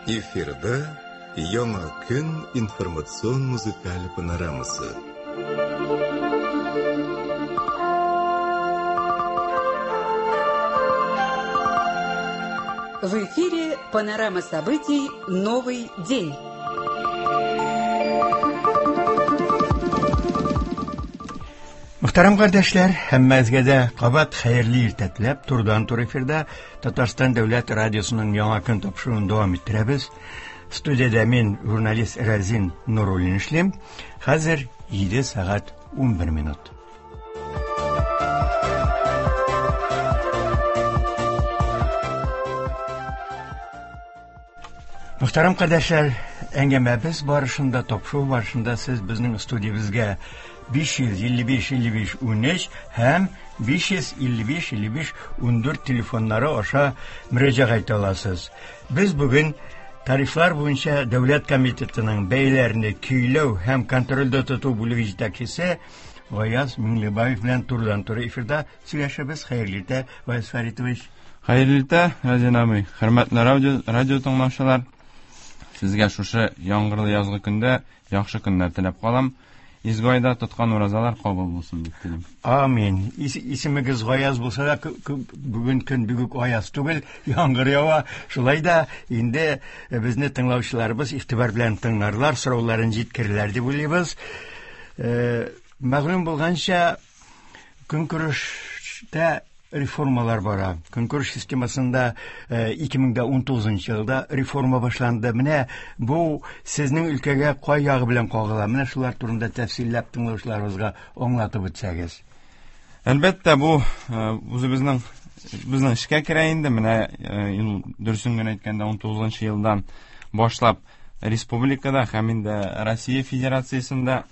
Эфирда Яңа көн информацион музыкаль панорамасы. В эфире панорама событий «Новый день». Мөхтәрәм кардәшләр, һәммәгезгә дә кабат хәерле иртә теләп, турыдан-туры эфирда Татарстан дәүләт радиосының Яңа көн тапшыруын дәвам иттерәбез. Студиядә мин, журналист Разин Нуруллин эшлим. Хәзер 7 сәгать 11 минут. Мөхтәрәм кардәшләр, әңгәмәбез барышында, тапшыру барышында сез безнең студиябезгә 555 55 13 һәм 555 55 14 телефоннары аша мөрәҗәгать итә аласыз. Без бүген Тарифлар буенча дәүләт комитетының бәяләрне көйләү һәм контрольдә тоту бүлеге җитәкчесе Гаяз Миңлебаев белән турыдан-туры эфирда сөйләшәбез. Хәерле иртә, Гаяз Фәритович. Хәерле иртә, Разин абый. Хөрмәтле радио, радио тыңлаучылар, сезгә шушы яңгырлы язгы көндә яхшы көннәр теләп калам. Изге айда тоткан уразалар кабул булсын дип телим. Амин. Ис, исемегез Гаяз булса да, бүген көн бик үк аяз түгел, яңгыр ява. Шулай да инде безне тыңлаучыларыбыз игътибар белән тыңларлар, сорауларын җиткерерләр дип уйлыйбыз. Э, мәгълүм булганча, көнкүрештә реформалар бара. Көнкүреш системасында 2019 э, елда реформа башланды. Менә бу сезнең өлкәгә кай ягы белән кагыла? Менә шулар турында тәфсилләп тыңлаучыларыбызга аңлатып үтсәгез. Әлбәттә, бу э, үзебезнең безнең эшкә керә инде. Менә э, дөресен генә әйткәндә 19 елдан башлап республикада һәм инде Россия Федерациясендә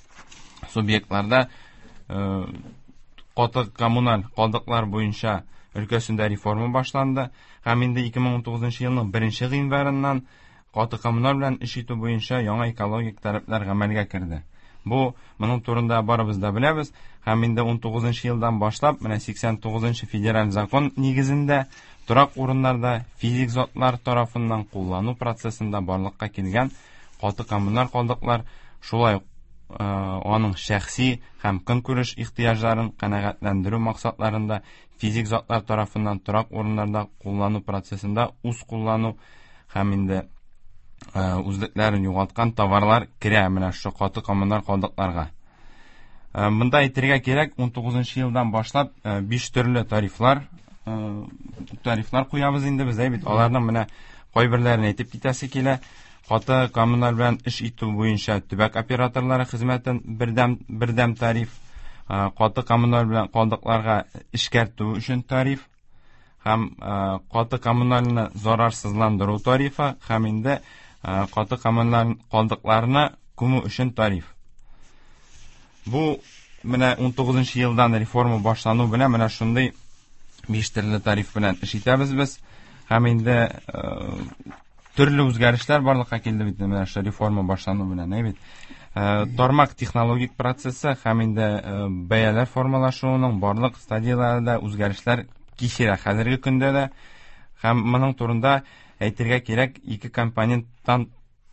субъектларда э, каты коммуналь калдыклар буенча өлкәсендә реформа башланды һәм инде 2019 елның 1 гыйнварыннан каты коммуналь белән эш итү буенча яңа экологик таләпләр гамәлгә керде. Бу моның турында барыбыз да беләбез һәм инде 19 елдан башлап менә 89 федераль закон нигезендә торак урыннарда физик затлар тарафыннан куллану процессында барлыкка килгән каты коммуналь калдыклар шулай ук аның шәхси һәм көнкүреш ихтыяҗларын канәгатьләндерү максатларында физик затлар тарафыннан торак урыннарда куллану процессында үз куллану һәм инде үзлекләрен югалткан товарлар керә менә шушы каты коммуналь калдыкларга. Монда әйтергә кирәк, 19 елдан башлап 5 төрле тарифлар тарифлар куябыз инде без, әй бит. Аларның менә кайберләрен әйтеп китәсе килә. Каты коммуналь белән эш итү буенча төбәк операторлары хезмәтен бердәм бердәм тариф, каты коммуналь белән калдыкларга эшкәртү өчен тариф һәм каты коммунальны зарарсызландыру тарифы һәм инде каты коммуналь калдыкларны күмү өчен тариф. Бу менә 19 елдан реформа башлану белән менә шундый биш төрле тариф белән эш итәбез без. Һәм инде төрле үзгәрешләр барлыкка килде бит менә шул реформа башлану белән, әй бит. Э, тармак технологик процессы һәм инде э, бәяләр формалашуының барлык стадияләрендә үзгәрешләр кичерә хәзерге көндә дә. Һәм моның турында әйтергә кирәк, ике компоненттан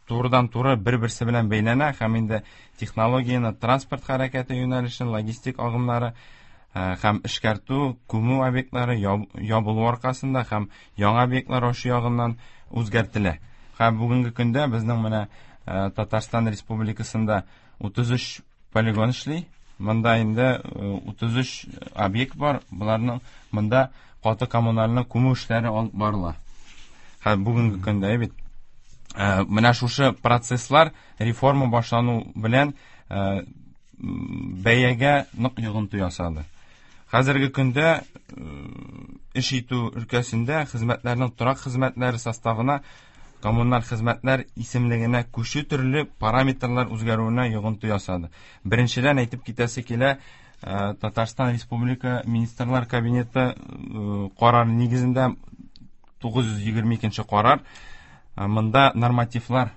турыдан-туры бер-берсе белән бәйләнә һәм инде технологияне транспорт хәрәкәте юнәлешен, логистик агымнары э, һәм эшкәртү, күмү объектлары ябылу аркасында һәм яңа объектлар ачу ягыннан үзгәртелә. Һәм бүгенге көндә безнең менә э, Татарстан Республикасында 33 полигон эшли. Монда инде 33 э, объект бар. Боларның монда каты коммунальны күмү эшләре алып барыла. Һәм бүгенге көндә бит э, менә шушы процесслар реформа башлану белән бәягә нык йогынты ясады. Хәзерге көндә эш итү өлкәсендә хезмәтләрнең торак хезмәтләре составына коммуналь хезмәтләр исемлегенә күчү төрле параметрлар үзгәрүенә йогынты ясады. Беренчедән әйтеп китәсе килә, Татарстан Республика Министрлар Кабинеты карары нигезендә 922 карар монда нормативлар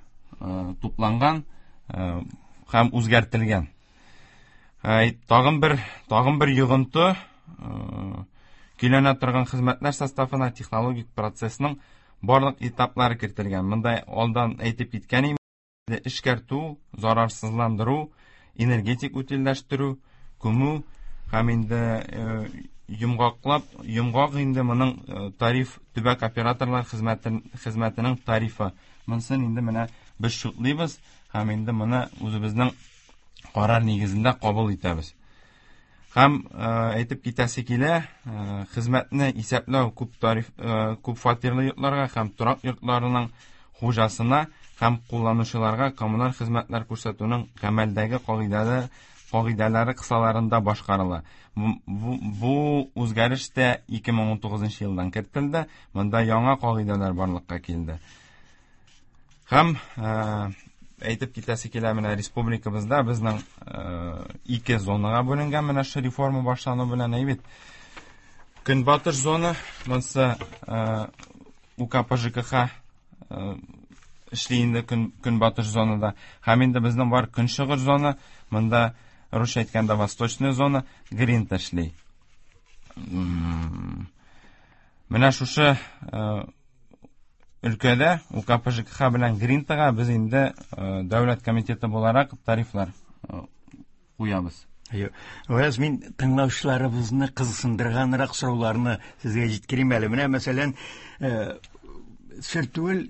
тупланган һәм үзгәртелгән. Тагын бер тагын бер йогынты көйләнә торган хезмәтләр составына технологик процессның барлык этаплары кертелгән. Монда алдан әйтеп киткән идем, эшкәртү, зарарсызландыру, энергетик утильләштерү, күмү һәм инде йомгаклап, йомгак инде моның тариф төбәк операторлар хезмәтенең тарифы. Монысын инде менә без шутлыйбыз һәм инде моны үзебезнең карар нигезендә кабул итәбез. Һәм әйтеп китәсе килә, хезмәтне исәпләү күп тариф күп фатирлы йортларга һәм торак йортларының хуҗасына һәм кулланучыларга коммуналь хезмәтләр күрсәтүнең гамәлдәге кагыйдәләре кысаларында башкарыла. Бу үзгәреш тә 2019 елдан кертелде. Монда яңа кагыйдәләр барлыкка килде. Һәм әйтеп китәсе килә, менә республикабызда безнең ике зонага бүленгән менә шу реформа башлану белән әйбит. Көнбатыш зона, монысы УКП ЖКХ эшли инде көнбатыш зонада. Һәм инде безнең бар көнчыгыш зона, монда русча әйткәндә восточная зона, Гринта эшли. Менә шушы өлкәдә УКП ЖКХ белән Гринтага без инде дәүләт комитеты буларак тарифлар куябыз. Гаяз, мин тыңлаучыларыбызны кызыксындырганрак сорауларны сезгә җиткерим әле. Менә, мәсәлән, сер түгел,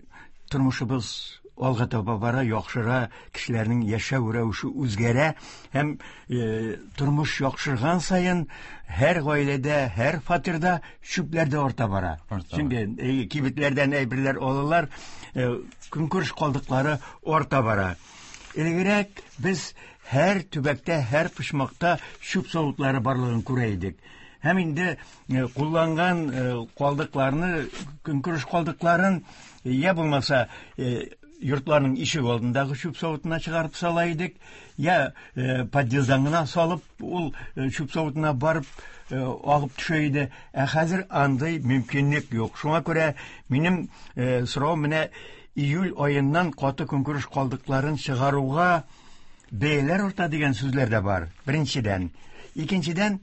тормышыбыз алга таба бара, яхшыра, кешеләрнең яшәү рәвеше үзгәрә һәм тормыш яхшырган саен һәр гаиләдә, һәр фатирда чүпләр дә арта бара. Чөнки кибетләрдән әйберләр алалар, көнкүреш калдыклары арта бара. Элегрәк без һәр төбәктә, һәр почмакта чүп савытлары барлыгын күрә идек. Һәм инде кулланган калдыкларны, көнкүреш калдыкларын я булмаса йортларның ишек алдындагы чүп савытына чыгарып сала идек, я подъезддан гына салып, ул чүп савытына барып агып төшә иде. Ә хәзер андый мөмкинлек юк. Шуңа күрә минем сорау менә июль аеннан каты көнкүреш калдыкларын чыгаруга бәяләр арта дигән сүзләр дә бар. Беренчедән. Икенчедән,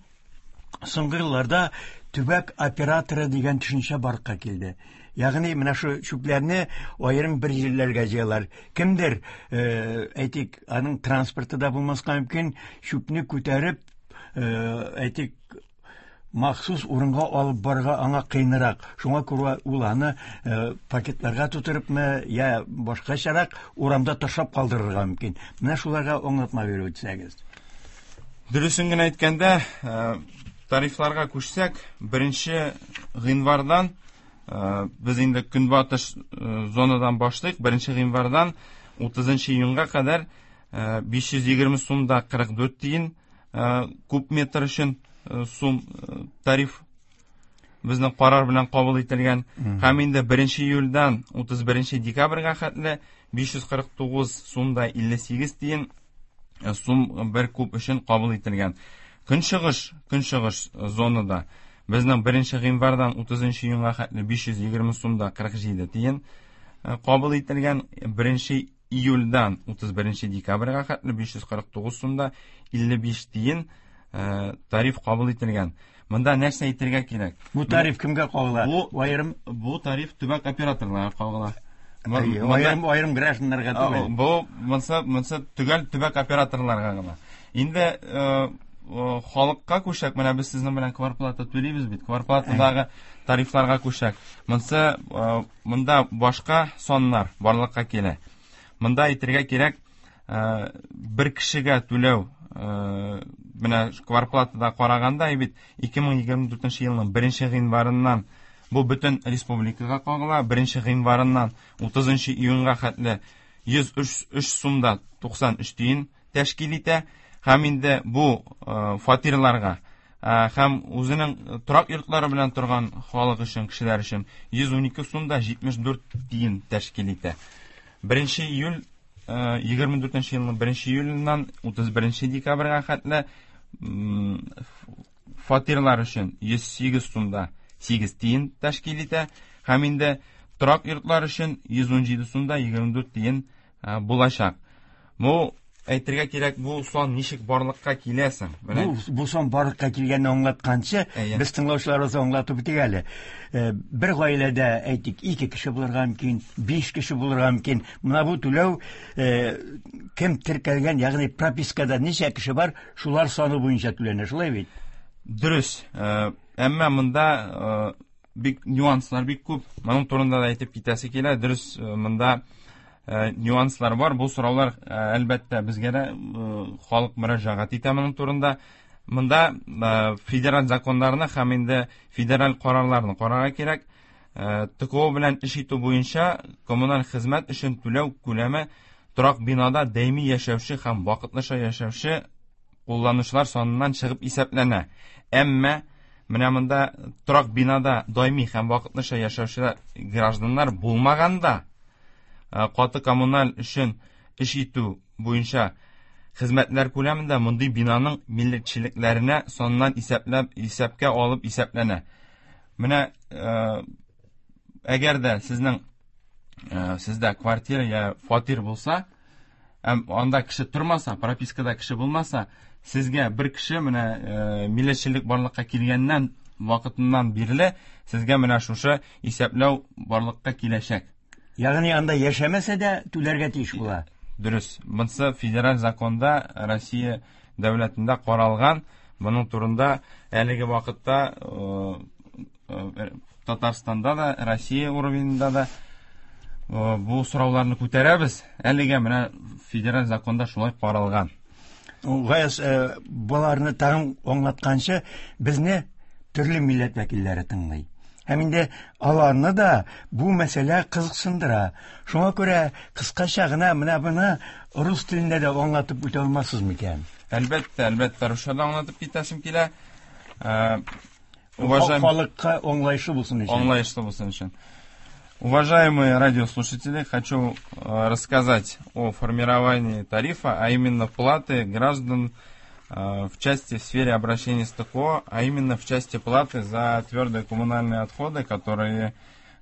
соңгы елларда төбәк операторы дигән төшенчә барлыкка килде. Ягъни менә шу чүпләрне аерым бер җирләргә җыялар. Кемдер, әйтик, аның транспорты да булмаска мөмкин, чүпне күтәреп, әйтик, махсус урынга алып барырга аңа кыенрак. Шуңа күрә ул аны пакетларга тутырыпмы, я башкачарак урамда ташлап калдырырга мөмкин. Менә шуларга аңлатма биреп үтсәгез. Дөресен генә әйткәндә, тарифларга күчсәк, 1 гыйнвардан без инде көнбатыш зонадан башлыйк. 1 гыйнвардан 30 июньгә кадәр 520 сум да 44 тиен куб метр өчен сум тариф безнең карар белән кабул ителгән. Һәм инде 1 июльдән 31 декабрьгә хәтле 549 сум да 58 тиен сум бер куб өчен кабул ителгән. Көнчыгыш зонада безнең 1 гыйнвардан 30 июньгә хәтле 520 сум да 47 тиен кабул ителгән. 1 июльдән 31 декабрьгә хәтле 549 сум да 55 тиен тариф кабул ителгән. Монда нәрсә әйтергә кирәк? Бу тариф кемгә кагыла? Бу тариф төбәк операторларга кагыла. Аерым гражданнарга түгел. Бу монсы төгәл төбәк операторларга гына. Инде халыкка күчсәк, менә без сезнең белән кварплата түлибез бит. Кварплатадагы тарифларга күчсәк, монда башка саннар барлыкка килә. Монда әйтергә кирәк, бер кешегә түләү, менә кварплатада караганда бит 2024 елның 1 гыйнварыннан бу бөтен республикага кагыла. 1 гыйнварыннан 30 июньгә хәтле 103 сум да 93 тиен тәшкил итә. Һәм инде бу фатирларга һәм үзенең торак йортлары белән торган халык өчен, кешеләр өчен 112 сум да 74 тиен тәшкил итә. 1 июль, 24 елның 1 июленнән 31 декабрьгә хәтле фатирлар өчен 108 сум да 8 тиен тәшкил итә. Һәм инде торак йортлар өчен 117 сум да 24 тиен булачак. Бу Әйтергә кирәк, бу сан ничек барлыкка килә соң? Менә бу сан барлыкка килгәнне аңлатканчы, без тыңлаучыларыбызга аңлатып үтик әле. Бер гаиләдә, әйтик, 2 кеше булырга мөмкин, 5 кеше булырга мөмкин. Менә бу түләү кем теркәлгән, ягъни пропискада ничә кеше бар, шулар саны буенча түләнә, шулай бит? Дөрес. Әмма монда бик нюанслар бик күп. Моның турында да әйтеп китәсе килә. Дөрес, монда нюанслар бар. Бу сораулар, әлбәттә, безгә дә халык мөрәҗәгать итә моның турында. Монда федераль законнарны һәм инде федераль карарларны карарга кирәк. ТКО белән эш итү буенча коммуналь хезмәт өчен түләү күләме торак бинада даими яшәүче һәм вакытлыча яшәүче кулланучылар саныннан чыгып исәпләнә. Әмма менә монда торак бинада даими һәм вакытлыча яшәүче гражданнар булмаганда, каты коммуналь өчен эш итү буенча хезмәтләр күләмендә мондый бинаның миллекчелекләренә саннан исәпләп, исәпкә алып исәпләнә. Менә әгәр дә сездә квартира я фатир булса, анда кеше тормаса, пропискада кеше булмаса, сезгә бер кеше менә миллекчелек барлыкка килгәннән вакытыннан бирле сезгә менә шушы исәпләү барлыкка киләчәк. Ягъни анда яшәмәсә дә түләргә тиеш була. Дөрес. Монысы федераль законда Россия дәүләтендә каралган. Моның турында әлеге вакытта Татарстанда да, Россия уровеньда да бу сорауларны күтәрәбез. Әлегә менә федераль законда шулай каралган. Гаяз, боларны тагын аңлатканчы, безне төрле милләт вәкилләре тыңлый. Һәм инде аларны да бу мәсьәлә кызыксындыра. Шуңа күрә кыскача гына менә моны рус телендә дә аңлатып үтә алмассыз микән? Әлбәттә, әлбәттә, русча да аңлатып китәсем килә. Халыкка аңлаешлы булсын өчен. Аңлаешлы булсын өчен. Уважаемые радиослушатели, хочу рассказать о формировании тарифа, а именно платы граждан в части в сфере обращения с ТКО, а именно в части платы за твердые коммунальные отходы, которые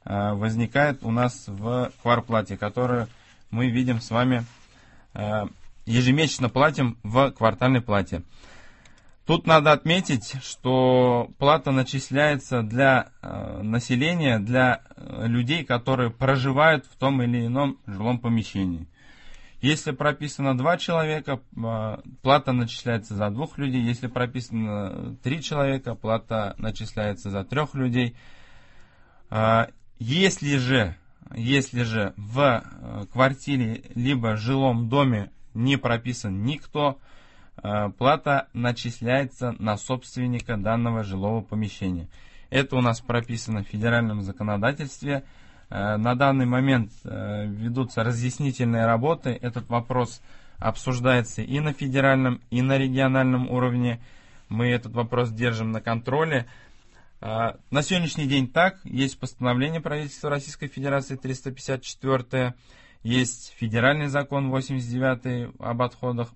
возникают у нас в кварплате, которую мы видим с вами ежемесячно платим в квартальной плате. Тут надо отметить, что плата начисляется для населения, для людей, которые проживают в том или ином жилом помещении. Если прописано 2 человека, плата начисляется за 2 людей. Если прописано 3 человека, плата начисляется за 3 людей. Если же в квартире либо жилом доме не прописан никто, плата начисляется на собственника данного жилого помещения. Это у нас прописано в федеральном законодательстве. На данный момент ведутся разъяснительные работы. Этот вопрос обсуждается и на федеральном, и на региональном уровне. Мы этот вопрос держим на контроле. На сегодняшний день так. Есть постановление правительства Российской Федерации 354, есть федеральный закон 89 об отходах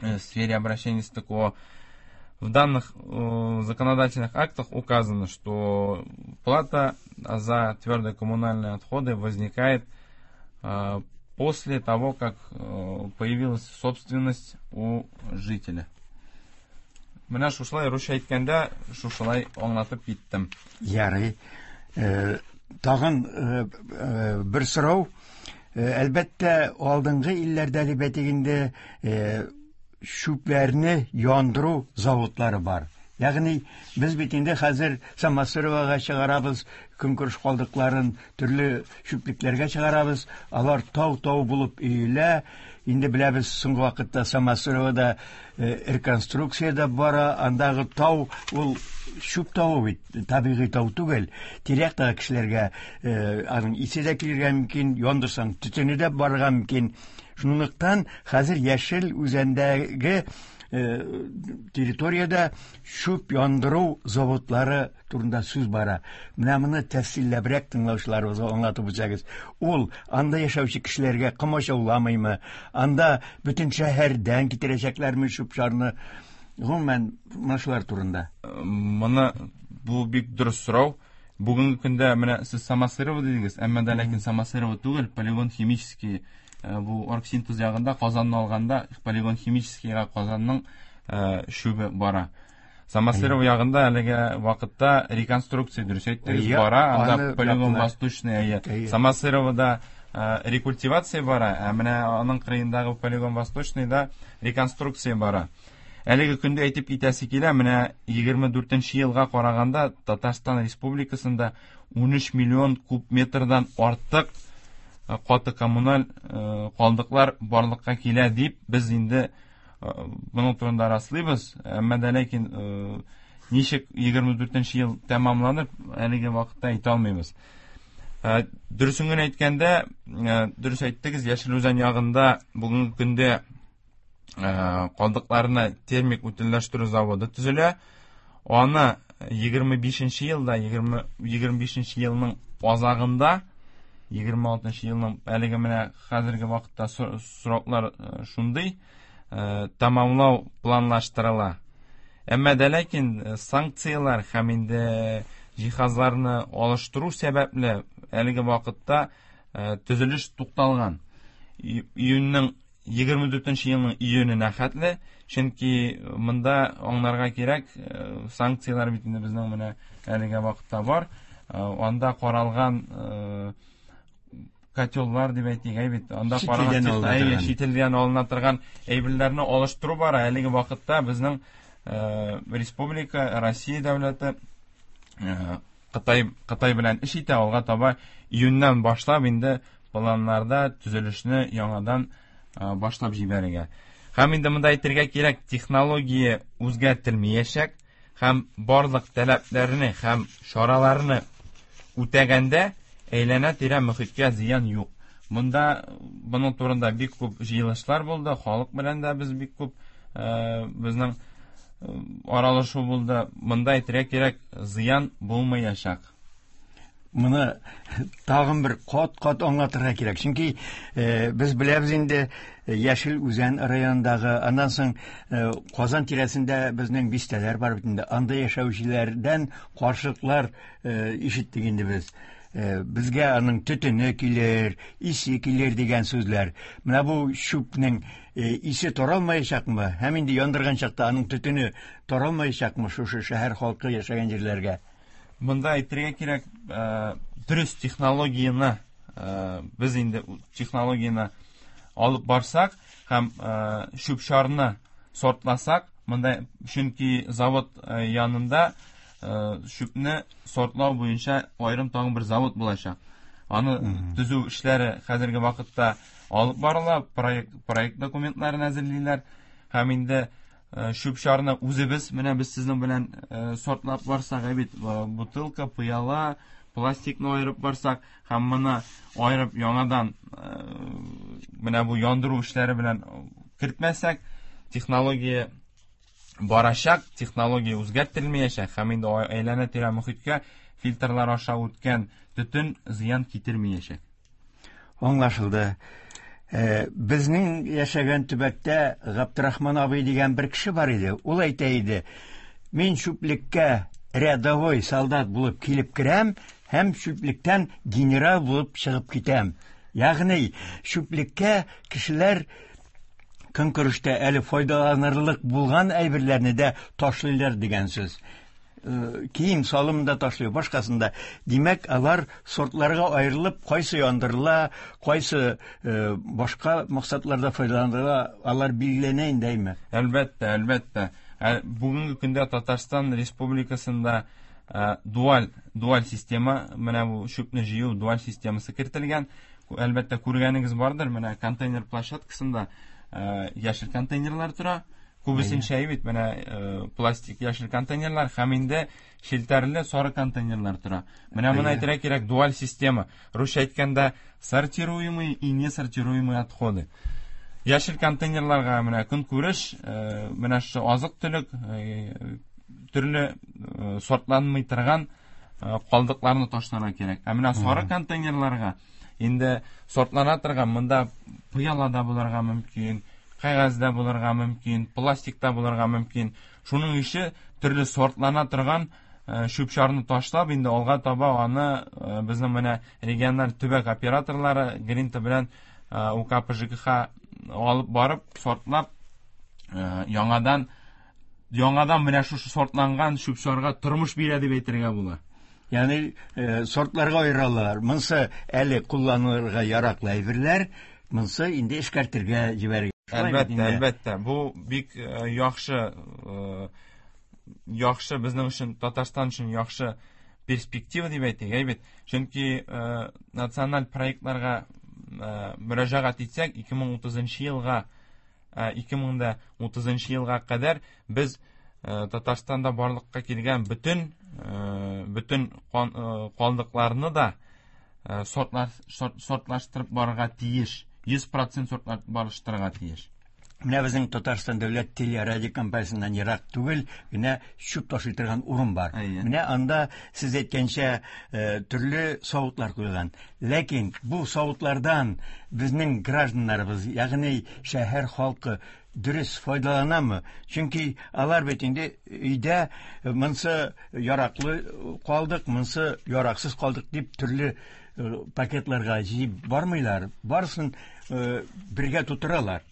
в сфере обращения с ТКО. В данных законодательных актах указано, что плата за твердые коммунальные отходы возникает после того, как появилась собственность у жителя. Менә шушылай русча әйткәндә, шушылай аңлатып киттем. Ярый. Тагын бер сорау. Әлбәттә, алдынгы илләрдә дип әйтик инде, чүпләрне яндыру заводлары бар. Ягъни без бит инде хәзер Самосыровага чыгарабыз, көнкүреш калдыкларын төрле чүплекләргә чыгарабыз, алар тау-тау булып өелә. Инде беләбез, соңгы вакытта Самосыровада реконструкция да бара, андагы тау ул чүп тавы бит, табигый тау түгел. Тирә-яктагы кешеләргә аның исе дә килергә мөмкин, яндырсаң төтене дә барырга мөмкин. Шунлыктан хәзер Яшел Үзәндәге территорияда чүп яндыру заводлары турында сүз бара. Менә моны тәфсилләбрәк тыңлаучыларыбызга аңлатып үтсәгез. Ул анда яшәүче кешеләргә комачауламыймы? Анда бөтен шәһәрдән китерәчәкләрме чүп-чарны? Гомумән, менә шулар турында. Моны бу бик дөрес сорау. Бүгенге көндә менә сез Самосырова дидегез, әмма дә ләкин Самосырова түгел, полигон химический Бу Оргсинтез ягында Казанны алганда полигон химическийга Казанның чүбе бара. Самосырово ягында әлеге вакытта реконструкция, дөрес әйттегез, бара. Анда полигон Восточный, Самосыровода рекультивация бара, ә менә аның кырыендагы полигон Восточныйда реконструкция бара. Әлеге көндә әйтеп китәсе килә, менә 24 елга караганда Татарстан Республикасында 13 миллион куб метрдан артык каты коммуналь калдыклар барлыкка килә дип без инде моның турында раслыйбыз. Әмма дә ләкин ничек 24 ел тәмамланыр, әлеге вакытта әйтә алмыйбыз. Дөресен генә әйткәндә, дөрес әйттегез, Яшел Үзән ягында бүгенге көндә калдыкларны термик утильләштерү заводы төзелә. Аны 25 елда, 25 елның азагында, 26 елның әлеге менә хәзерге вакытта сроклар шундый, тәмамлау планлаштырыла. Әмма дә ләкин санкцияләр һәм инде җиһазларны алыштыру сәбәпле әлеге вакытта төзелеш тукталган. Июньнең 24 елның июненә хәтле, чөнки монда аңларга кирәк, санкцияләр бит инде безнең менә әлеге вакытта бар. Анда каралган котеллар дип әйтик, әй бит, анда каралган чит илдән алына торган әйберләрне алыштыру бара. Әлеге вакытта безнең республика, Россия дәүләте Кытай белән эш итә, алга таба июньнән башлап инде планнарда төзелешне яңадан башлап җибәрергә. Һәм инде монда әйтергә кирәк, технология үзгәртелмәячәк һәм барлык таләпләрне һәм чараларны үтәгәндә әйләнә-тирә мөхиткә зыян юк. Монда моның турында бик күп җыелышлар булды, халык белән дә без бик күп безнең аралашу булды. Монда әйтергә кирәк, зыян булмаячак. Моны тагын бер кат-кат аңлатырга кирәк. Чөнки без беләбез инде Яшел Үзән районындагы, аннан соң Казан тирәсендә безнең бистәләр бар бит инде. Анда яшәүчеләрдән каршылыклар ишеттек инде без. Безгә аның төтене килер, исе килер дигән сүзләр. Менә бу чүпнең исе таралмаячакмы? Һәм инде яндырган чакта аның төтене таралмаячакмы шушы шәһәр халкы яшәгән җирләргә? Монда әйтергә кирәк, дөрес технологияне без инде технологияне алып барсак һәм чүп-чарны сортласак, монда чөнки завод янында чүпне сортлау буенча аерым тагын бер завод булачак. Аны төзү эшләре хәзерге вакытта алып барыла, проект документларын әзерлиләр һәм инде чүп-чарны үзебез, менә без сезнең белән сортлап барсак, бит бутылка, пыяла, пластикны аерып барсак һәм моны аерып яңадан менә бу яндыру эшләре белән кертмәсәк, технология барачак, технология үзгәртелмәячәк һәм инде әйләнә-тирә мөхиткә фильтрлар аша үткән төтен зыян китермәячәк. Аңлашылды. Безнең яшәгән төбәктә Габдрахман абый дигән бер кеше бар иде. Ул әйтә иде: "Мин чүплеккә рядовой солдат булып килеп керәм һәм чүплектән генерал булып чыгып китәм." Ягъни чүплеккә кешеләр көнкүрештә әле файдаланырлык булган әйберләрне дә ташлыйлар дигән сүз. Кием салым да ташлый, башкасын да. Димәк, алар сортларга аерылып, кайсы яндырыла, кайсы башка максатларда файдаланыла, алар билгеләнә инде, әйме? Әлбәттә, әлбәттә. Бүгенге көндә Татарстан Республикасында дуаль система, менә бу чүпне җыю дуаль системасы кертелгән. Әлбәттә, күргәнегез бардыр, менә контейнер площадкасында яшел контейнерлар тора. Күбесенчә бит менә пластик яшел контейнерлар һәм инде челтәрле сары контейнерлар тора. Менә моны әйтергә кирәк, дуаль система. Русча әйткәндә, сортируемые и несортируемые отходы. Яшел контейнерларга менә көнкүреш, менә шушы азык-төлек, төрле сортланмый торган калдыкларны ташларга кирәк. Ә менә сары контейнерларга инде сортлана торган, монда пыяла да булырга мөмкин, кәгазь дә булырга мөмкин, пластик та булырга мөмкин. Шуның ише төрле сортлана торган чүп-чарны ташлап, инде алга таба аны безнең менә региональ төбәк операторлары Гринта белән УКП ЖКХ алып барып, сортлап, яңадан яңадан менә шушы сортланган чүп-чарга тормыш бирә дип әйтергә була. Ягъни сортларга аералар. Монсы әле кулланылырга яраклы әйберләр, монсы инде эшкәртергә җибәрергә. Әлбәттә, әлбәттә. Бу бик яхшы яхшы безнең өчен, Татарстан өчен яхшы перспектива дип әйтик, әйбәт. Чөнки националь проектларга мөрәҗәгать итсәк, 2030 елга 2030 елга кадәр без Татарстанда барлыкка килгән бөтен бөтен калдыкларны да сортлаштырып барырга тиеш. 100% сортлаштырырга тиеш. Менә безнең Татарстан дәүләт телерадиокомпаниясеннән ерак түгел генә чүп ташый торган урын бар. Менә анда сез әйткәнчә төрле савытлар куелган. Ләкин бу савытлардан безнең гражданнарыбыз, ягъни шәһәр халкы дөрес файдаланамы? Чөнки алар бит инде өйдә монсы яраклы калдык, монсы яраксыз калдык дип төрле пакетларга җыеп бармыйлар, барысын бергә тутыралар.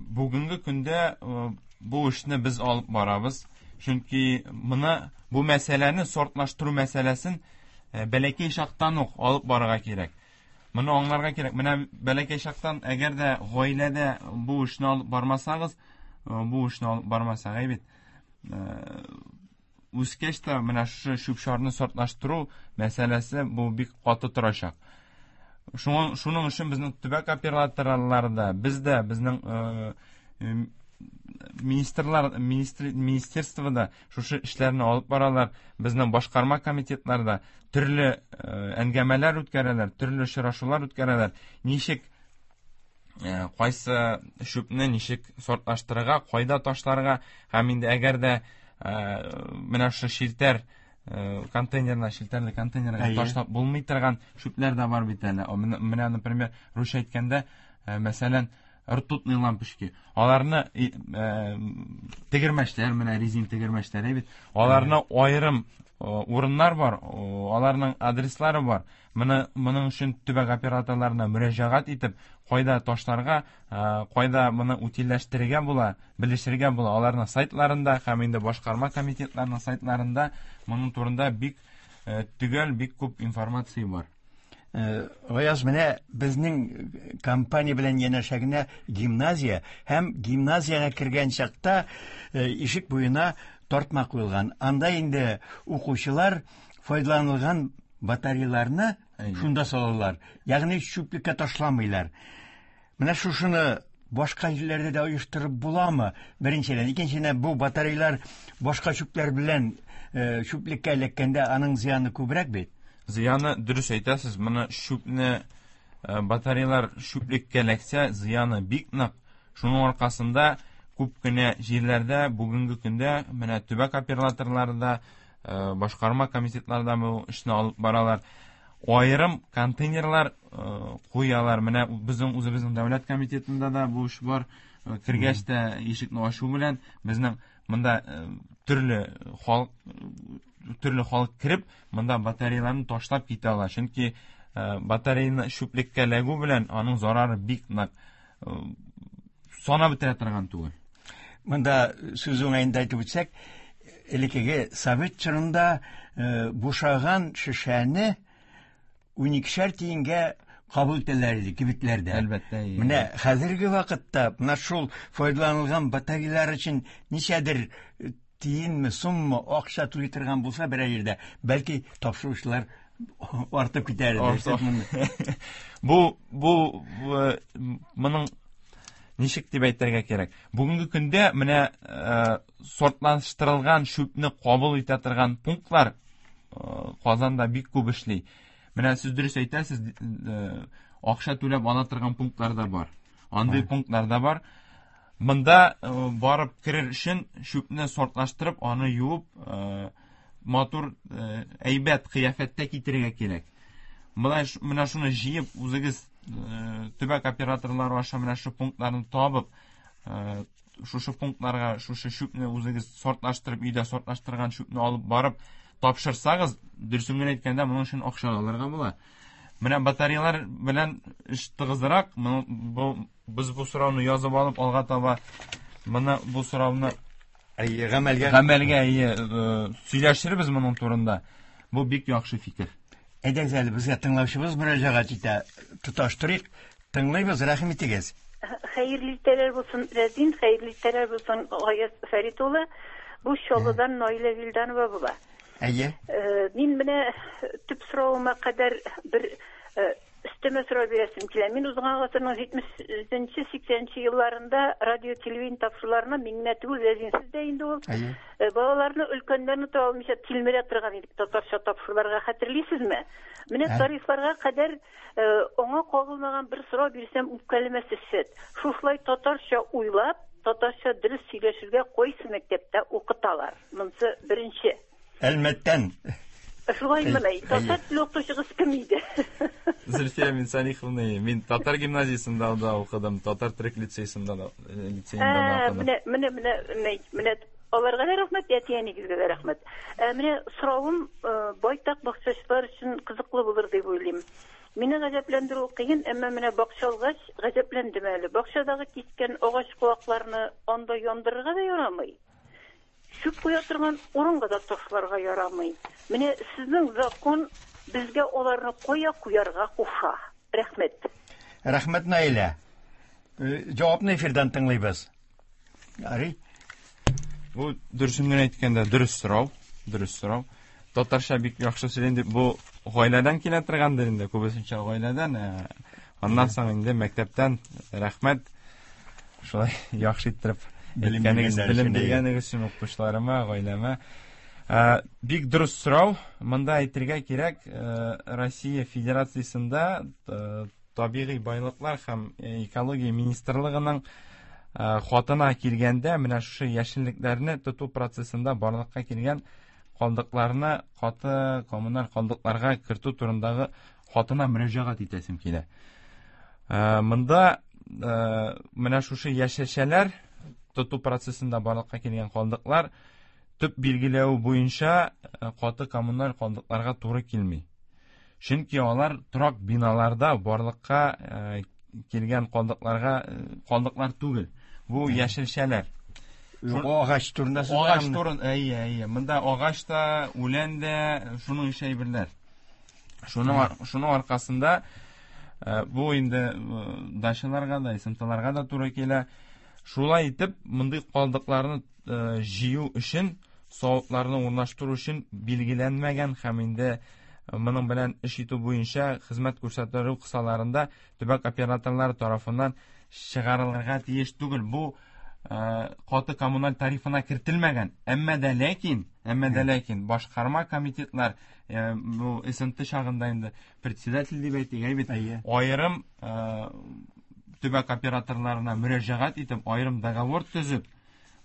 Бүгенге көндә бу эшне без алып барабыз. Чөнки моны бу мәсьәләне сортлаштыру мәсьәләсен бәләкәй чактан ук алып барырга кирәк. Моны аңларга кирәк. Менә бәләкәй чактан әгәр дә гаиләдә бу эшне алып бармасагыз, бу эшне алып бармасак, әйбит. Үскәч тә менә шушы чүп-чарны сортлаштыру мәсьәләсе бу бик каты торачак. Шуның шуның өчен безнең төбәк операторлары да, без дә, безнең министрлар, министр, министерство да шушы эшләрне алып баралар. Безнең башкарма комитетлар да төрле әңгәмәләр үткәрәләр, төрле очрашулар үткәрәләр. Ничек кайсы чүпне ничек сортлаштырырга, кайда ташларга һәм инде әгәр дә менә шушы челтәр контейнерына, челтәрле контейнерга ташлап булмый торган чүпләр дә бар бит әле. Менә, например, русча әйткәндә, мәсәлән, ртутные лампочки. Аларны тегермәчләр, менә резин тегермәчләр бит. Аларны аерым урыннар бар, аларның адреслары бар. Моны моның өчен төбәк операторларына мөрәҗәгать итеп, кайда ташларга, кайда моны утильләштерергә була, белешергә була. Аларның сайтларында һәм инде башкарма комитетларының сайтларында моның турында бик төгәл, бик күп информация бар. Гаяз, менә безнең компания белән янәшә генә гимназия һәм гимназиягә кергән чакта ишек буена тартма куелган. Анда инде укучылар файдаланылган батареяларны шунда салалар. Ягъни чүплеккә ташламыйлар. Менә шушыны башка җирләрдә дә оештырып буламы? Беренчедән, икенчедән, бу батареялар башка чүпләр белән чүплеккә эләккәндә аның зыяны күбрәк бит. Зыяны дөрес әйтәсез, моны чүпне батареялар чүплеккә эләксә, зыяны бик нык. Шуның аркасында күп кенә җирләрдә бүгенге көндә менә төбәк операторлары да, башкарма комитетлары да бу эшне алып баралар. Аерым контейнерлар куялар. Менә безнең үзебезнең дәүләт комитетында да бу эш бар. Кергәч тә ишекне ачу белән безнең монда төрле халык төрле халык кереп, монда батареяларны ташлап китә ала. Чөнки батареяны чүплеккә эләгү белән аның зарары бик нык, санап бетерә торган түгел. Монда сүз уңаенда әйтеп үтсәк, элеккеге совет чорында бушаган шешәне 12 тиенгә кабул итәләр иде кибетләрдә. Әлбәттә. Менә хәзерге вакытта менә шул файдаланылган батареялар өчен ничәдер тиенме, суммы акча түли торган булса берәр җирдә, бәлки тапшыручылар артып китәр иде. Бу бу моның ничек дип әйтергә кирәк? Бүгенге көндә менә сортлаштырылган чүпне кабул итә торган пунктлар Казанда бик күп эшли. Менә сез дөрес әйтәсез, акча түләп ала торган пунктлар да бар. Андый пунктлар да бар. Монда барып керер өчен чүпне сортлаштырып, аны юып, матур, әйбәт кыяфәттә китерергә кирәк. Менә менә шуны җыеп, үзегез төбәк операторлары аша менә шу пунктларны табып, шушы пунктларга шушы чүпне үзегез сортлаштырып, өйдә сортлаштырган чүпне алып барып тапшырсагыз, дөресен генә әйткәндә, моның өчен акча алырга була. Менә батареялар белән эш тыгызрак. Бу без бу сорауны язып алып алга таба моны бу сорауны Әйе, гамәлгә гамәлгә әйе сөйләшербез моның турында. Бу бик яхшы фикер. Әйдәгез әле безгә тыңлаучыбыз мөрәҗәгать итә. Тоташтырыйк. Тыңлыйбыз, рәхим итегез. Хәерле иртәләр булсын, Рәзин, хәерле иртәләр булсын, Гаяз Фәрит улы. Бу Чаллыдан Наилә Вилданова була. Әйе. Мин менә төп соравыма кадәр бер өстәмә сорау бирәсем килә. Мин узган гасырның 70-нче, 80-нче елларында радио телевидение тапшыруларына мин генә түгел, Рәзин сез дә инде ул. Әйе. Балаларны, өлкәннәрне таба алмыйча тилмерә торган идек татарча тапшыруларга, хәтерлисезме? Менә тарихларга кадәр аңа кагылмаган бер сорау бирсәм, үпкәләмәссез сез. Шушылай татарча уйлап, татарча дөрес сөйләшергә кайсы мәктәптә укыталар? Монысы беренче. Әлмәттән. Шулай менә, татар теле укытучыгыз кем иде? Зөлфия Минсалиховна, мин татар гимназиясендә дә укыдым, татар төрек лицейсында да, лицеенда да укыдым. Менә, менә, менә, менә аларга да рәхмәт, әти-әнигезгә дә рәхмәт. Менә соравым байтак бакчачылар өчен кызыклы булыр дип уйлыйм. Мине гаҗәпләндерү кыен, әмма менә бакча алгач, гаҗәпләндем әле. Бакчадагы кискән агач куакларны анда яндырырга да ярамый. Чүп куя торган урынга да ташларга ярамый. Менә сезнең закон безгә аларны кая куярга куша. Рәхмәт. Рәхмәт, Наилә. Җавапны эфирдан тыңлыйбыз. Ярый. Бу дөресен генә әйткәндә дөрес сорау, дөрес сорау. Татарча бик яхшы сөйлим дип бу гаиләдән килә торгандыр инде, күбесенчә гаиләдән. Аннан соң инде мәктәптән рәхмәт. Шулай яхшы иттереп әйткәнегез, белем биргәнегез өчен укытучыларыма, гаиләмә. Бик дөрес сорау. Монда әйтергә кирәк, Россия Федерациясендә табигый байлыклар һәм экология министрлыгының хатына килгәндә, менә шушы яшеллекләрне тоту процессында барлыкка килгән калдыкларны каты коммуналь калдыкларга кертү турындагы хатына мөрәҗәгать итәсем килә. Монда менә шушы яшелчәләр тоту процессында барлыкка килгән калдыклар төп билгеләү буенча каты коммуналь калдыкларга туры килми. Чөнки алар торак биналарда барлыкка килгән калдыкларга калдыклар түгел. Бу яшелчәләр. Агач турында сүз Агач турын, әйе, әйе. Монда агач та, үлән дә, шуның ише әйберләр. Шуның шуның аркасында бу инде дачаларга да, СМТларга да туры килә. Шулай итеп, мондый калдыкларны җыю өчен, савытларны урнаштыру өчен билгеләнмәгән һәм инде моның белән эш итү буенча хезмәт күрсәтү кысаларында төбәк операторлары тарафыннан чыгарылырга тиеш түгел. Бу каты коммуналь тарифына кертелмәгән. Әмма дә ләкин, әмма дә ләкин башкарма комитетлар бу СНТ чагында инде председатель дип әйтик, әй бит, аерым төбәк операторларына мөрәҗәгать итеп, аерым договор төзеп,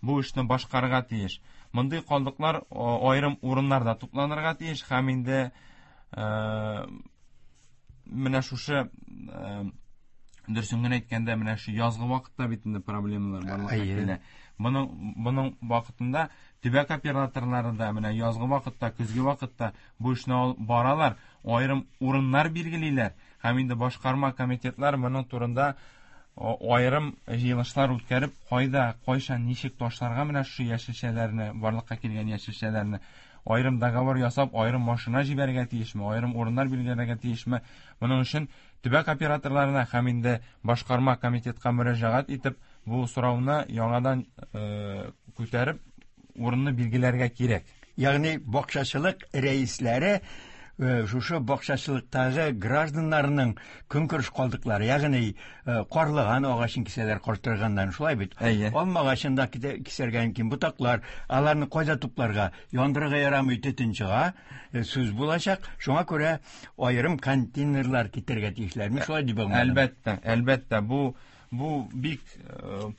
бу эшне башкарырга тиеш. Мондый калдыклар аерым урыннарда тупланырга тиеш һәм инде менә шушы дөресен генә әйткәндә, менә шу язгы вакытта бит инде проблемалар барлыкка килә. Моның вакытында төбәк операторлары да менә язгы вакытта, көзге вакытта бу эшне алып баралар, аерым урыннар билгелиләр һәм инде башкарма комитетлар моның турында аерым җыелышлар үткәреп, кайда, кайчан, ничек ташларга менә шушы яшелчәләрне, барлыкка килгән яшелчәләрне аерым договор ясап, аерым машина җибәрергә тиешме, аерым урыннар билгеләргә тиешме? Моның өчен төбәк операторларына һәм инде башкарма комитетка мөрәҗәгать итеп, бу сорауны яңадан күтәреп, урынны билгеләргә кирәк. Ягъни бакчачылык рәисләре шушы бакчачылыктагы гражданнарның көнкүреш калдыклары, ягъни карлыган агачын кисәләр картырганнан, шулай бит? Әйе. Алма агачын да кисәргә мөмкин, ботаклар, аларны кайда тупларга? Яндырырга ярамый, төтен чыга, сүз булачак. Шуңа күрә аерым контейнерлар китерергә тиешләр. Мин шулай дип аңладым. Әлбәттә, әлбәттә, бу бик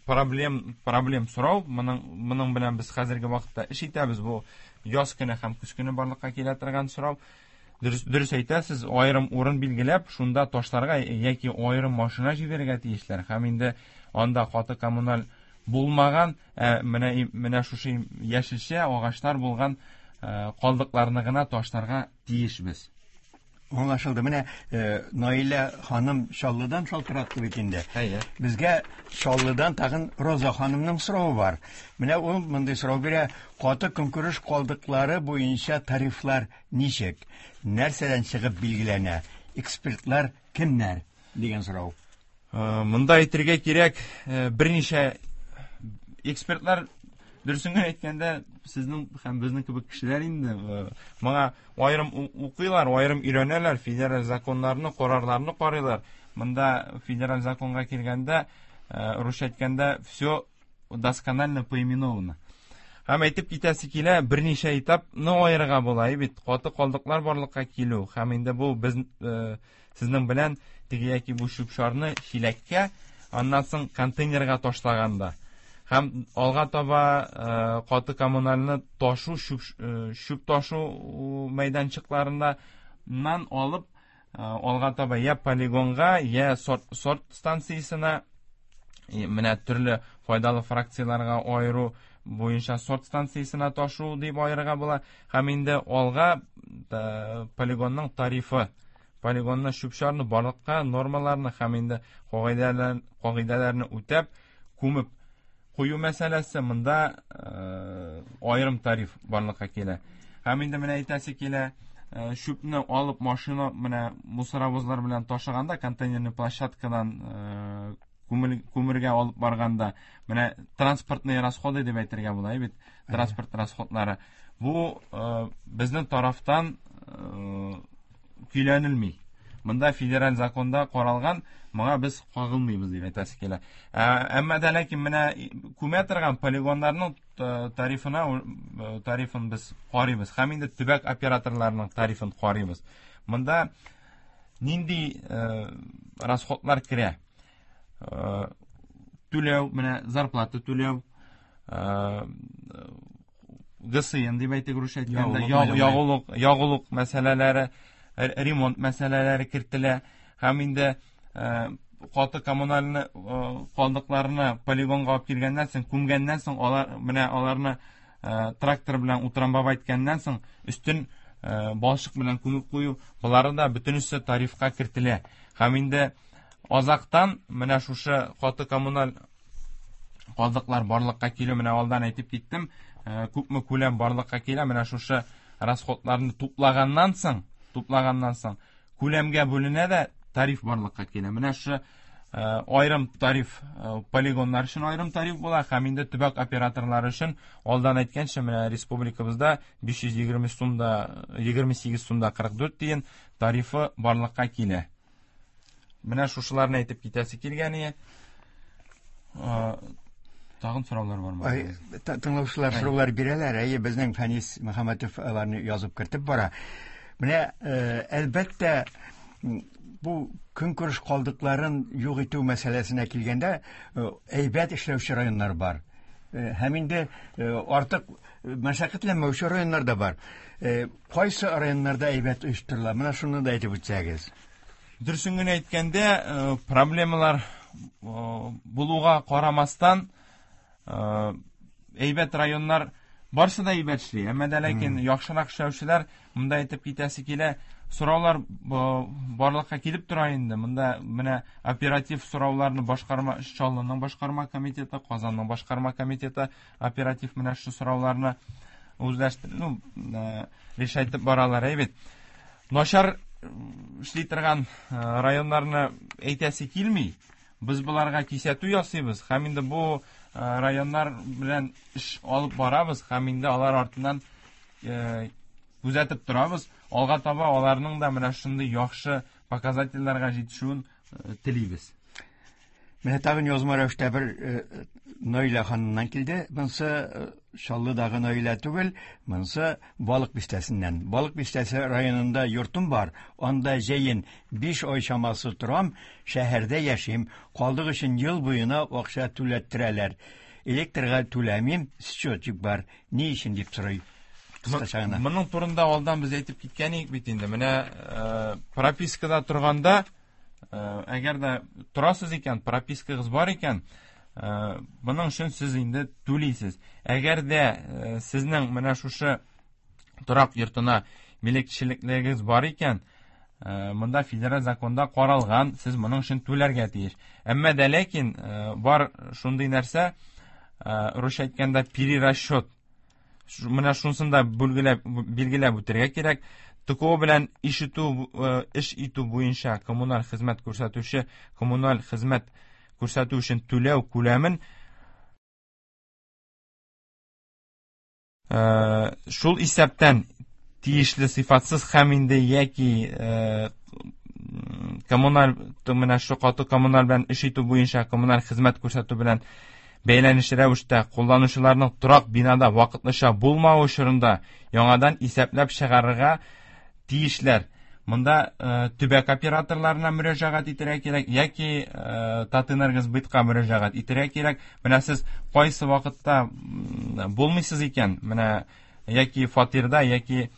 проблем сорау. Моның белән без хәзерге вакытта эш итәбез. Бу яз көне һәм көз көне барлыкка килә торган сорау. Дөрес әйтәсез, аерым урын билгеләп, шунда ташларга яки аерым машина җибәрергә тиешләр. Һәм инде анда каты коммуналь булмаган, менә шушы яшелчә, агачлар булган калдыкларны гына ташларга тиешбез. Аңлашылды. Менә Наилә ханым Чаллыдан шалтыратты бит инде. Әйе. Безгә Чаллыдан тагын Роза ханымның соравы бар. Менә ул мондый сорау бирә: каты көнкүреш калдыклары буенча тарифлар ничек? Нәрсәдән чыгып билгеләнә? Экспертлар кемнәр? Дигән сорау. Монда әйтергә кирәк, берничә экспертлар, дөресен генә әйткәндә, сезнең һәм безнең кебек кешеләр инде моңа аерым укыйлар, аерым өйрәнәләр, федераль законнарны, карарларны карыйлар. Монда федераль законга килгәндә, русча әйткәндә, все досконально поименовано. Һәм әйтеп китәсе килә, берничә этапны аерырга була бит. Каты калдыклар барлыкка килү һәм инде бу без сезнең белән теге яки бу чүп-чарны чиләккә, аннан соң контейнерга ташлаганда һәм алга таба каты коммунальны ташу, чүп ташу мәйданчыкларыннан алып алга таба я полигонга, я сорт станциясенә, менә төрле файдалы фракцияләргә аеру буенча сорт станциясенә ташу дип аерырга була. Һәм инде алга полигонның тарифы, полигонны чүп-чарны барлыкка нормаларны һәм инде кагыйдәләрне үтәп күмеп кую мәсьәләсе, монда аерым тариф барлыкка килә. Һәм инде менә әйтәсе килә, чүпне алып машина менә мусоровозлар белән ташыганда, контейнерный площадкадан күмергә алып барганда, менә транспортные расходы дип әйтергә була бит, транспорт расходлары. Бу безнең тарафтан көйләнелми. Монда федераль законда каралган, моңа без кагылмыйбыз дип әйтәсе килә. Әмма дә ләкин менә күмә торган полигоннарның тарифына, тарифын без карыйбыз. Һәм инде төбәк операторларының тарифын карыйбыз. Монда нинди расходлар керә? Түләү, менә зарплата түләү, ГСН дип әйтик, русча әйткәндә, ягулык мәсьәләләре, ремонт мәсьәләләре кертелә. Һәм инде каты коммунальны калдыкларны полигонга алып килгәннән соң, күмгәннән соң, алар менә аларны трактор белән утрамбап әйткәннән соң, өстен балчык белән күмеп кую, болары да бөтенесе тарифка кертелә. Һәм инде азактан менә шушы каты коммуналь калдыклар барлыкка килү, менә алдан әйтеп киттем, күпме күләм барлыкка килә, менә шушы расходларны туплаганнан соң күләмгә бүленә дә тариф барлыкка килә. Менә шушы аерым тариф полигоннар өчен аерым тариф була, һәм инде төбәк операторлары өчен алдан әйткәнчә, менә республикабызда 520 сумда 28 сумда 44 тиен тарифы барлыкка килә. Менә шушыларны әйтеп китәсе килгән. Тагын сораулар бармы? Тыңлаучылар сораулар бирәләр. Әйе, безнең Фәнис Мөхәммәтов аларны язып кертеп бара. Менә әлбәттә бу көнкүреш калдыкларын юк итү мәсьәләсенә килгәндә, әйбәт эшләүче районнар бар. Һәм инде артык мәшәкатьләнмәүче районнар да бар. Кайсы районнарда әйбәт оештырыла? Менә шуны да әйтеп үтсәгез. Дөресен генә әйткәндә, проблемалар булуга карамастан, әйбәт районнар барсы да әйбәт эшли. Әмма дә ләкин яхшырак эшләүчеләр, монда әйтеп китәсе килә, сораулар барлыкка килеп тора инде. Монда менә оператив сорауларны башкарма Чаллының башкарма комитеты, Казанның башкарма комитеты оператив менә шу сорауларны үзләштереп, ну, решайтып баралар, әйбәт. Начар эшли торган районнарны әйтәсе килми. Без буларга кисәтү ясыйбыз һәм инде бу районнар белән эш алып барабыз һәм инде алар артыннан күзәтеп торабыз. Алга таба аларның да менә шундый яхшы показательләргә җитешүен телибез. Менә тагын язма рәвештә бер Наилә ханымнан килде. Монсы Чаллыдагы Наилә түгел, монсы Балык бистәсеннән. Балык бистәсе районында йортым бар. Анда җәен 5 ай чамасы торам, шәһәрдә яшим. Калдык өчен ел буена акча түләттерәләр. Электрга түләмим, счетчик бар. Ни өчен дип сорый. Кыскача гына. Моның турында алдан без әйтеп киткән идек бит инде. Менә пропискада торганда, әгәр дә торасыз икән, пропискагыз бар икән, моның өчен сез инде түлисез. Әгәр дә сезнең менә шушы торак йортына милекчелекләрегез бар икән, Монда федераль законда каралган, сез моның өчен түләргә тиеш. Әмма дә ләкин бар шундый нәрсә, русча әйткәндә перерасчет. Менә шунысын да билгеләп үтәргә кирәк. ТКО белән ишетү, эш итү буенча коммуналь хезмәт күрсәтүче коммуналь хезмәт күрсәтү өчен түләү күләмен шул исәптән тиешле сыйфатсыз һәм инде яки коммуналь менә шу каты коммуналь белән эш итү буенча коммуналь хезмәт күрсәтү белән бәйләнеш рәвештә кулланучыларның торак бинада вакытлыча булмавы чорында яңадан исәпләп чыгарырга тиешләр. Монда төбәк операторларына мөрәҗәгать итәргә кирәк яки Татэнергосбытка мөрәҗәгать итәргә кирәк. Менә сез кайсы вакытта булмыйсыз икән, менә яки фатирда, яки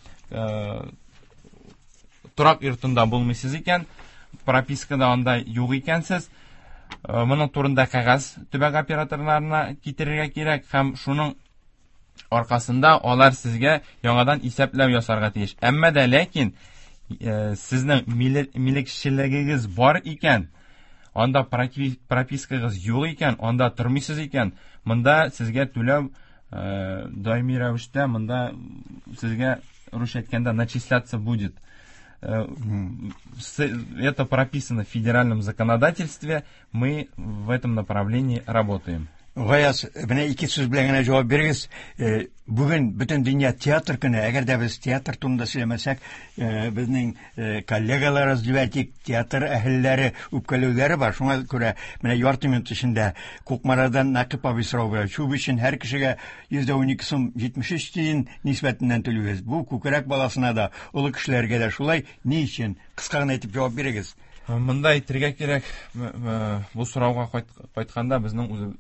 торак йортында булмыйсыз икән, пропискада анда юк икәнсез, моның турында кәгазь төбәк операторларына китерергә кирәк һәм шуның аркасында алар сезгә яңадан исәпләү ясарга тиеш. Әмма дә ләкин сезнең милекчелегегез бар икән, анда пропискагыз юк икән, анда тормыйсыз икән, монда сезгә түләү даими рәвештә, монда сезгә русча әйткәндә начисляться будет. Это прописано в федеральном законодательстве, мы в этом направлении работаем. Гаяз, менә ике сүз белән генә җавап бирегез. Бүген бөтен дөнья театр көне. Әгәр дә без театр турында сөйләмәсәк, безнең коллегаларыбыз дип әйтик, театр әһелләре үпкәләүләре бар. Шуңа күрә менә ярты минут эчендә Кукмарадан Нәкыйп абый сорау бирә. Чүп өчен һәр кешегә 112 сум 73 тиен нисбәтеннән түлибез. Бу күкрәк баласына да, олы кешеләргә дә шулай. Ни өчен? Кыска гына итеп җавап бирегез. Монда әйтергә кирәк, бу сорауга кайтканда безнең үзе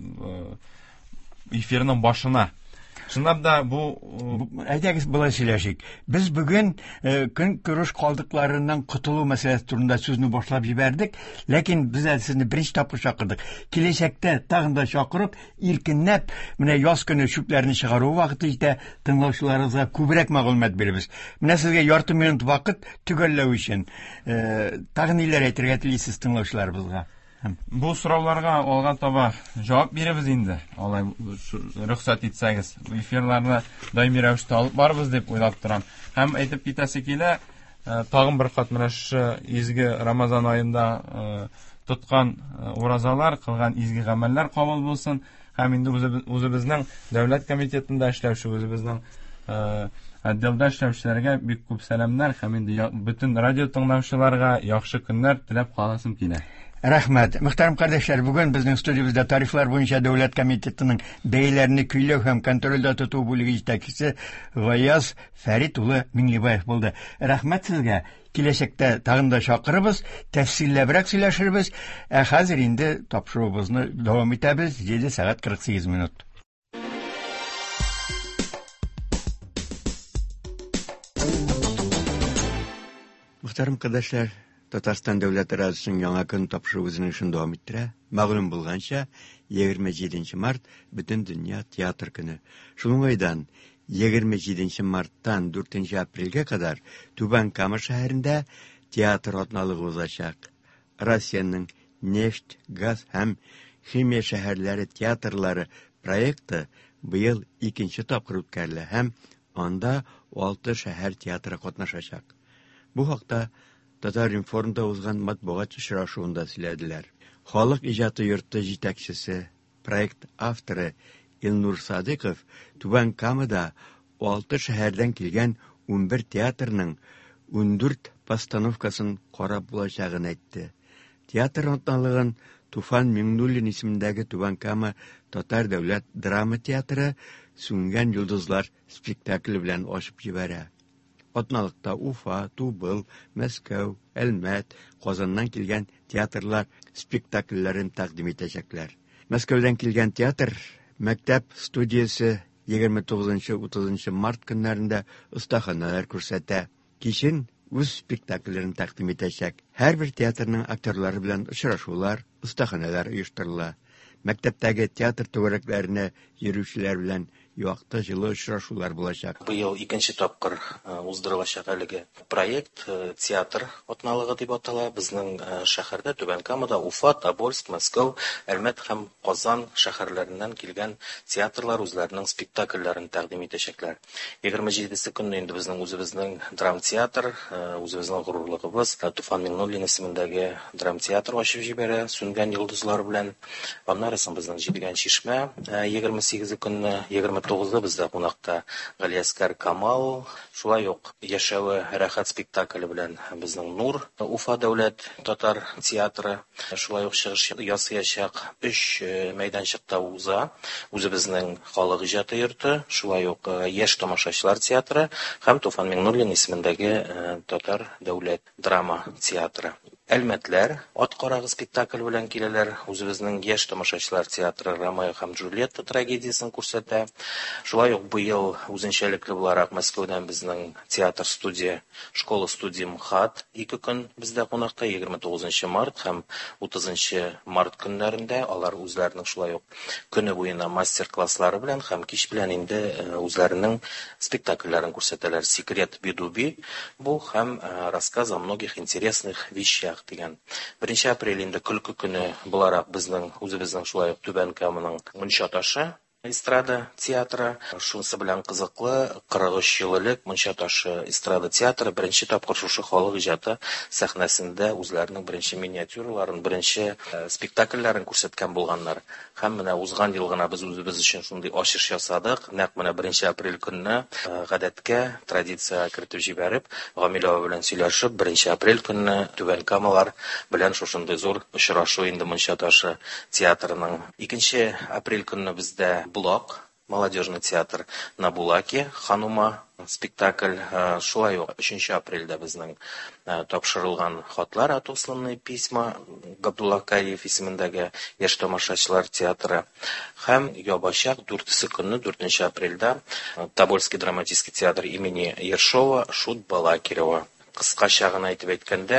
эфирның башына. Чынлап да бу әйдәгез болай сөйләшик. Без бүген көнкүреш калдыкларыннан котылу мәсьәләсе турында сүзне башлап җибәрдек, ләкин без әле сезне беренче тапкыр чакырдык. Киләчәктә тагын да чакырып, иркенләп, менә яз көне чүпләрне чыгару вакыты җитә, тыңлаучыларыбызга күбрәк мәгълүмат бирербез. Менә сезгә ярты минут вакыт төгәлләү өчен. Тагын ниләр әйтергә телисез тыңлаучыларыбызга? Бу сорауларга алга таба җавап бирербез инде. Алай рөхсәт итсәгез, эфирларны даими рәвештә алып барырбыз дип уйлап торам. Һәм әйтеп китәсе килә, тагын бер кат менә шушы изге Рамазан аенда тоткан уразалар, кылган изге гамәлләр кабул булсын. Һәм инде үзебезнең дәүләт комитетында эшләүче, үзебезнең отделда эшләүчеләргә бик күп сәламнәр һәм инде бөтен радио тыңлаучыларга яхшы көннәр теләп каласым килә. Рәхмәт. Мөхтәрәм кардәшләр, бүген безнең студиябездә тарифлар буенча дәүләт комитетының бәяләрне көйләү һәм контрольдә тоту бүлеге җитәкчесе Гаяз Фәрит улы Миңлебаев булды. Рәхмәт сезгә. Киләчәктә тагын да чакырыбыз, тәфсилләбрәк сөйләшербез. Ә хәзер инде тапшыруыбызны дәвам итәбез. 7 сәгать 48 минут. Мөхтәрәм кардәшләр, Татарстан дәүләт радиосының яңа көн тапшыруы үзенең эшен дәвам иттерә. Мәгълүм булганча, 27 март бөтен дөнья театр көне. Шул уңайдан 27 марттан 4 апрельгә кадәр Түбән Кама шәһәрендә театр атналыгы узачак. Россиянең нефть, газ һәм химия шәһәрләре театрлары проекты быел икенче тапкыр үткәрелә һәм анда 6 шәһәр театры катнашачак. Бу хакта Татар-информда узган матбугат очрашуында сөйләделәр. Халык иҗаты йорты җитәкчесе, проект авторы Илнур Садыков Түбән Камада 6 шәһәрдән килгән 11 театрның 14 постановкасын карап булачагын әйтте. Театр атналыгын Туфан Миңнуллин исемендәге Түбән Кама Татар дәүләт драма театры Сүнгән йолдызлар спектакле белән ачып җибәрә. Атналыкта Уфа, Тубыл, Мәскәү, Әлмәт, Казаннан килгән театрлар спектакльләрен тәкъдим итәчәкләр. Мәскәүдән килгән театр мәктәп студиясе 29-30 март көннәрендә остаханәләр күрсәтә. Кичен үз спектакльләрен тәкъдим итәчәк. Һәрбер театрның актерлары белән очрашулар, остаханәләр оештырыла. Мәктәптәге театр түгәрәкләренә йөрүчеләр белән якты җылы очрашулар булачак. Быел икенче тапкыр уздырылачак әлеге проект театр атналыгы дип атала. Безнең шәһәрдә, Түбән Камада, Уфа, Тобольск, Мәскәү, Әлмәт һәм Казан шәһәрләреннән килгән театрлар үзләренең спектакльләрен тәкъдим итәчәкләр. 27 көнне инде безнең үзебезнең драмтеатр, үзебезнең горурлыгыбыз Туфан Миңнуллин исемендәге драмтеатр ачып җибәрә Сүнгән йолдызлар белән. Аннары соң безнең Җидегән чишмә 28 көнне, 29-да бездә кунакта Галиәскәр Камал, шулай ук Яшәве рәхәт спектакле белән безнең Нур Уфа дәүләт татар театры шулай ук чыгыш ясаячак. 3 мәйданчыкта уза үзебезнең халык иҗаты йорты, шулай ук Яшь тамашачылар театры һәм Туфан Миңнуллин исемендәге татар дәүләт драма театры. Әлмәтләр Ат карагы спектакль белән киләләр. Үзебезнең Яшь тамашачылар театры Ромео һәм Джульетта трагедиясен күрсәтә. Шулай ук быел үзенчәлекле буларак Мәскәүдән безнең театр студия, школа студия МХАТ 2 көн бездә кунакта, 29 март һәм 30 март көннәрендә алар үзләренең шулай ук көне буена мастер-класслары белән һәм кич белән инде үзләренең спектакльләрен күрсәтәләр. Секрет Бидуби бу һәм рассказ о многих интересных вещах дигән. 1 апрель инде көлке көне буларак безнең үзебезнең шулай ук Түбән Каманың Мунча ташы эстрада театры. Шунысы белән кызыклы, 43 ел элек Мунча ташы эстрада театры беренче тапкыр шушы халык иҗаты сәхнәсендә үзләренең беренче миниатюраларын, беренче спектакльләрен күрсәткән булганнар. Һәм менә узган ел гына без үзебез өчен шундый ачыш ясадык. Нәкъ менә 1 апрель көнне гадәткә, традициягә кертеп җибәреп, Гамил абый белән сөйләшеп, 1 апрель көнне Түбән Камалар белән шушындый зур очрашу инде Мунча ташы театрының. 2 апрель көнне бездә Булак, молодежный театр на Булаке, Ханума спектакль. Шулай ук 3 апрельдә безнең тапшырылган хатлар, отосланные письма, Габдулла Кариев исемендәге яшь тамашачылар театры. Һәм ябачак 4 көнне, 4 апрельдә Тобольский драматический театр имени Ершова, Шут Балакирева. Кыскача гына әйтеп әйткәндә,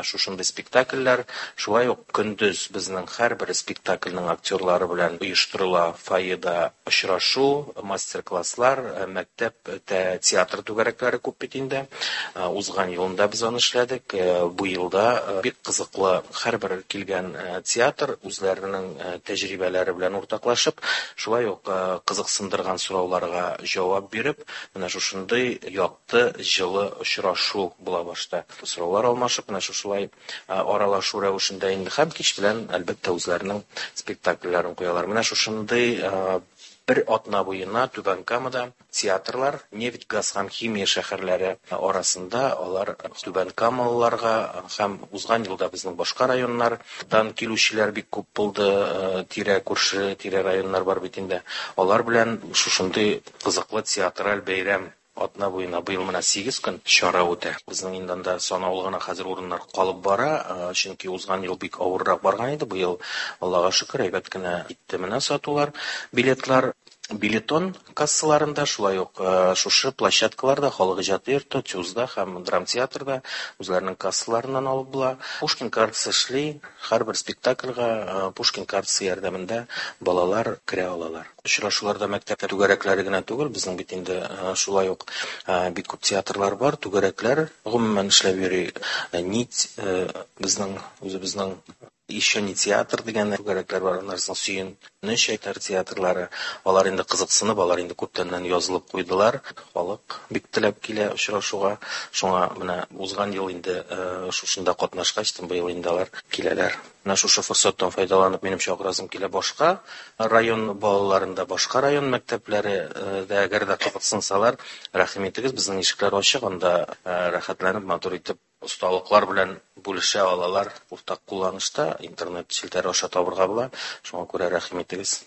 шушындый спектакльләр. Шулай ук көндез безнең һәрбер спектакльнең актерлары белән оештырыла фойеда очрашу, мастер-класслар, мәктәп театр түгәрәкләре күп бит инде. Узган елында без аны эшләдек. Бу елда бик кызыклы һәрбер килгән театр үзләренең тәҗрибәләре белән уртаклашып, шулай ук кызыксындырган сорауларга җавап биреп, менә шушындый якты, җылы очрашу була башта. Сораулар алмашып, менә шушылай аралашу рәвешендә инде һәм кич белән, әлбәттә, үзләренең спектакльләрен куялар. Менә шушындый бер атна буена Түбән Камада театрлар, нефть, газ һәм химия шәһәрләре арасында алар Түбән Камалыларга һәм узган елда безнең башка районнардан килүчеләр бик күп булды, тирә күрше, тирә районнар бар бит инде. Алар белән шушындый кызыклы театраль бәйрәм атна буена быел менә 8 көн чара үтә. Безнең инде анда санаулы гына хәзер урыннар калып бара, чөнки узган ел бик авыррак барган иде. Быел, Аллага шөкер, әйбәт кенә китте менә сатулар, билетлар. Билетон кассаларында, шулай ук шушы площадкаларда, халык иҗаты йорты, ТЮЗда һәм драмтеатрда үзләренең кассаларыннан алып була. Пушкин картасы эшли, һәрбер спектакльгә Пушкин картасы ярдәмендә балалар керә алалар. Очрашуларда мәктәп түгәрәкләре генә түгел, безнең бит инде шулай ук бик күп театрлар бар, түгәрәкләр гомумән эшләп йөри. Нить, безнең үзебезнең еще не театр дигән түгәрәкләр бар, аннан соң Сөенеч әйтәр театрлары. Алар инде кызыксынып, алар инде күптәннән язылып куйдылар. Халык бик теләп килә очрашуга. Шуңа менә узган ел инде шушында катнашкач, быел инде алар киләләр. Менә шушы форсаттан файдаланып, минем чакырасым килә башка район балаларында, башка район мәктәпләре дә әгәр дә кызыксынсалар, рәхим итегез, безнең ишекләр ачык, анда рәхәтләнеп, матур итеп осталыклар белән бүлешә алалар. Уртак кулланышта интернет челтәре аша табырга була. Шуңа күрә рәхим итегез.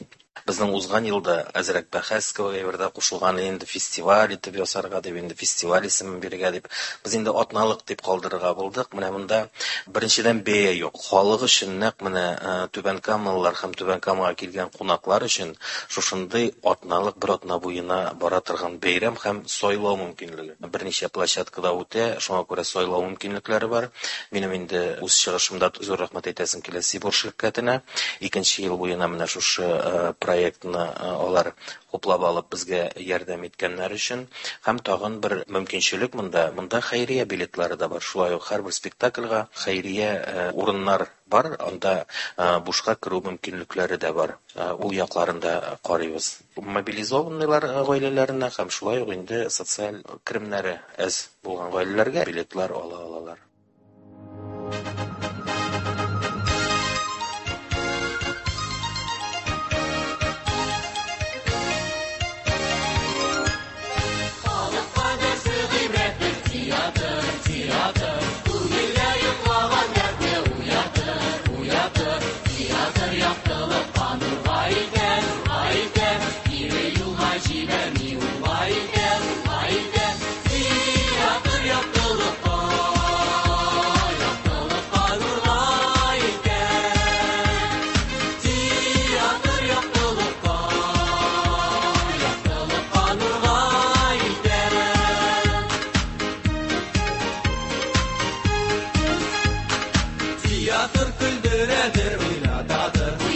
Безнең узган елда әзрәк бәхәс кебек әйбердә кушылган инде фестиваль итеп ясарга дип, инде фестиваль исемен бирергә дип. Без инде атналык дип калдырырга булдык. Менә монда беренчедән бәя юк. Халык өчен нәкъ менә Түбән Камалылар һәм Түбән Камага килгән кунаклар өчен шушындый атналык бер атна буена бара торган бәйрәм һәм сайлау мөмкинлеге. Берничә площадкада үтә, шуңа күрә сайлау мөмкинлекләре бар. Минем инде үз чыгышымда зур рәхмәт әйтәсем килә Сибур ширкәтенә. Икенче ел буена менә шушы проектны алар хуплап алып безгә ярдәм иткәннәр өчен. Һәм тагын бер мөмкинчелек монда, монда хәйрия билетлары да бар. Шулай ук һәрбер спектакльгә хәйрия урыннар бар, анда бушка керү мөмкинлекләре дә бар. Ул якларын да карыйбыз. Мобилизованныйлар гаиләләренә һәм шулай ук инде социаль керемнәре әз булган гаиләләргә билетлар ала алалар. Театр көлдерәдер, уйнатадыр.